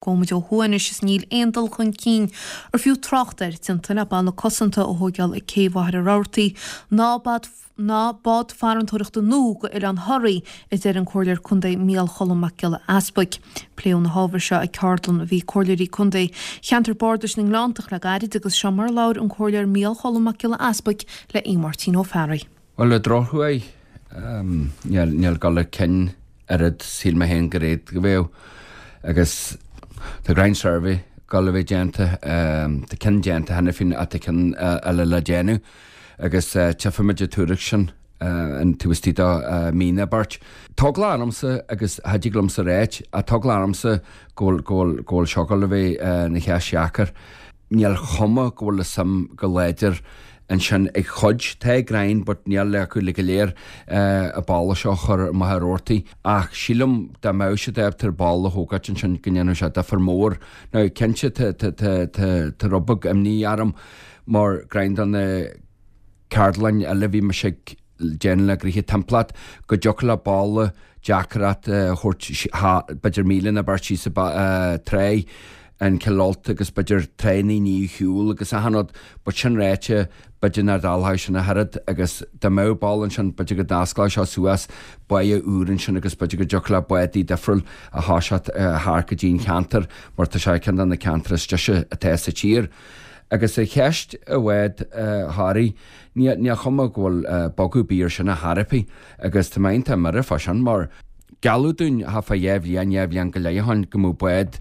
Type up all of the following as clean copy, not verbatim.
Gabhfaidh muid ó thuaidh anois is níl aon dul chun cinn ar fiú trácht air déanta le balla cosanta a thóigeáil ag Cé Mhachaire Rabhartaigh ná ná bád farantóireachta nua go Oileán Thoraí, a deir an Comhairleoir Contae Micheál Cholm Mac Giolla Easpaig. Pléadh na hábhair seo ag ceardlann a bhí ag Comhairleoirí Contae Cheantar Bardais na nGleanntach le gairid agus seo mar a labhair an Comhairleoir Micheál Cholm Mac Giolla Easpaig le Aodh Máirtín Ó Fearraigh. Bhuel, ar drochuair, níl dul chun cinn oiread shíl mé féin go raibh go bheadh agus tá ground survey ag dul a bheith déanta, tá ceann déanta cheana féin ach tá ceann eile le déanamh agus tchífimid an tuairisc sin an taobh istigh de mí nó beirt. Tá eagla ormsa agus cha dtig liomsa ráit ach tá eagla ormsa go bhfuil go bhfuil go bhfuil seo ag dul a bheith ina cheist dheacair. Níl chuma go bhfuil an suim go láidir ansin ag chuid, tá ag roinnt but níl acu uilig go léir an balla seo a chur i Machaire Rabhartaigh ach sílim dá mbeadh siad ábalta balla a thógáilt ansin go ndéanfadh sé difear mór. Now cinnte tá tá tá tá tá rud beag imní orm mar greim do na ceardlann eile bhí mise ag déanamh le gnoithe timpeallacht go dtiocfadh le balla deacracht a thabhairt b'fhéidir míle nó beirt síos an tráigh an Cill Ulta agus b'fhéidir tráigh na ndaoine a shiúl agus achan rud but sin ráite b'fhéidir nach dtarlódh sin ach oiread agus dá mbeadh balla ansin b'fhéidir go n-osclódh seo suas báighe úr ansin agus b'fhéidir go dtiocfadh le bádaí difriúil a thoiseacht thart go dtí an cheantar mar tá sé ceann de na ceantair is deise atá sa tír. Agus ar cheist an bhád Thoraí, níl chuma go bhfuil bogadh ar bith ar sin ar chor ar bith agus tá mé iontach buartha fá sin mar gealladh dúinn thart fá dheich bhliain, dheich bhliain go leith ó shoin go mbeadh bád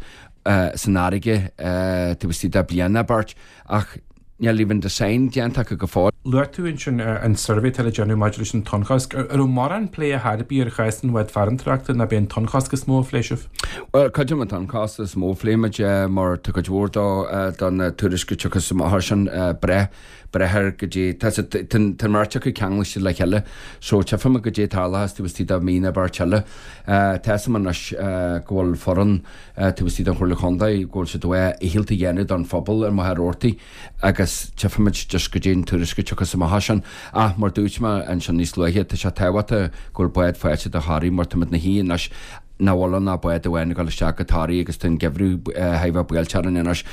san fharraige taobh istigh de bliain nó beirt ach níl even design déanta acu go fóill. Luaigh tú ansin an suirbhé atá le déanamh maidir leis an tonnchosc. An raibh mórán plé ar chor ar bith ar chás an bhád farantóireachta nó b'é an tonnchosc is mó a phléigh sibh? Bhuel, cuid an tonnchosc is mó a phléigh muid mar tá cuid mhór do na tuairiscí a tiocfas amach air sin breith breith air go dtí tá tá an mbeirt acu ceangailte le chéile so tchífidh muid goidé tarlóchas taobh istigh de mhí nó beirt eile. Tá 'fhios a'm anois go bhfuil foireann taobh istigh den Chomhairle Chontae go bhfuil siad a dhícheall a dhéanamh don phobal ar Mhachaire Rabhartaigh agus tchífidh muid just goidé an tuairisc a tiocfas amach as sin. Ach mar dúirt mé ansin níos luaithe tá sé tábhachtach go bhfuil bád faighte do Thoraigh mar táimid 'na shuí anois nach bhfuil ann ach bád amháin ag dul isteach go Toraigh agus tá an geimhreadh thar a bheith buailte orainn anois.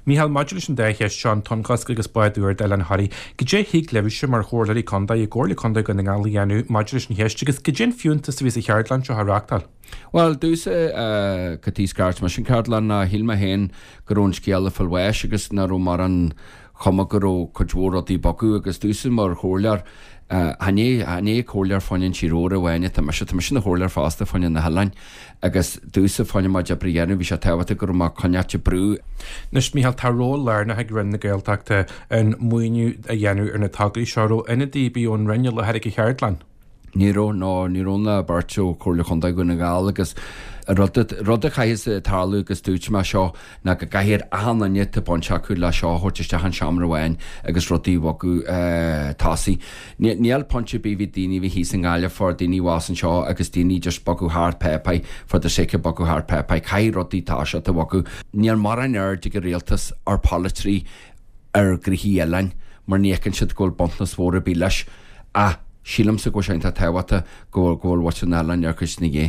Mícheál, maidir leis an dá cheist seo, an tonnchosc agus bád úr d'Oileán Thoraí, goidé a thig libhse mar chomhairleoirí contae i gComhairle Contae Dhún na nGall a dhéanamh maidir leis an cheist agus goidé an fiúntas a bhí sa cheardlann seo a reáchtáil? Bhuel, domhsa, cad chuige scairt mise an cheardlann ná shíl mé féin go raibh an scéal ag fáil bháis agus nach raibh mórán chuma go raibh cuid mhór rudaí ag bogadh agus domhsa mar chomhairleoir, chan é, chan é comhairleoir fá choinne an tír óir amháin atá mise, tá mise ina chomhairleoir fosta fá choinne na hoileáin agus domhsa fá choinne mo chuid oibre a dhéanamh bhí sé tábhachtach go raibh mé ag coinneáilt ag brú. Anois, Mícheál, tá ról lárnach ag Roinn na Gaeltachta in maoiniú a dhéanamh ar na tograí seo. Raibh ionadaí ar bith ón Roinn i láthair ag an cheardlann? Ní raibh, no, ní raibh ná beirt ó Chomhairle Chontae Dhún na nGall agus rud, rud a chaithfeas tarlú agus dúirt mé seo ná go gcaithfidh achan duine atá baint acu le seo a thabhairt isteach an seomra amháin agus rudaí a bhogadh tosaigh. Níl point ar bith bhí daoine a bhí thíos i nGaillimh for daoine abhus anseo agus daoine just bogadh thart páipéir for the sake of bogadh thart páipéir. Caithfidh rudaí toiseacht a bhogadh. Níl mórán aird ag an rialtas ar polaiteoirí ar ghnoithí oileáin mar ní fheiceann siad go bhfuil buntáiste mhór ar bith leis ach sílimse go bhfuil sé iontach tábhachtach go bhfuil go bhfuil muintir na n-oileán ar chuid na gé.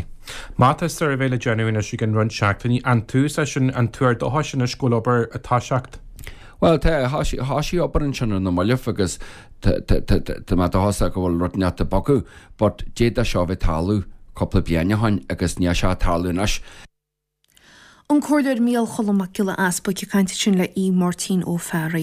Má tá suirbhé le déanamh anois i gceann roinnt seachtainí, an tús é sin, an tuar dóchais anois go bhfuil obair ag toiseacht? Bhuel tá, thoisigh obair ansin ar na mallaibh agus tá tá tá tá mé dóchasach go bhfuil rud inteacht ag bogadh but d'fhéadfadh seo a bheith ag tarlú cúpla bliain ó shoin agus níl sé ag tarlú anois. An Comhairleoir Micheál Cholm Mac Giolla Easpaig ag caint ansin le Aodh Máirtín Ó Fearraigh.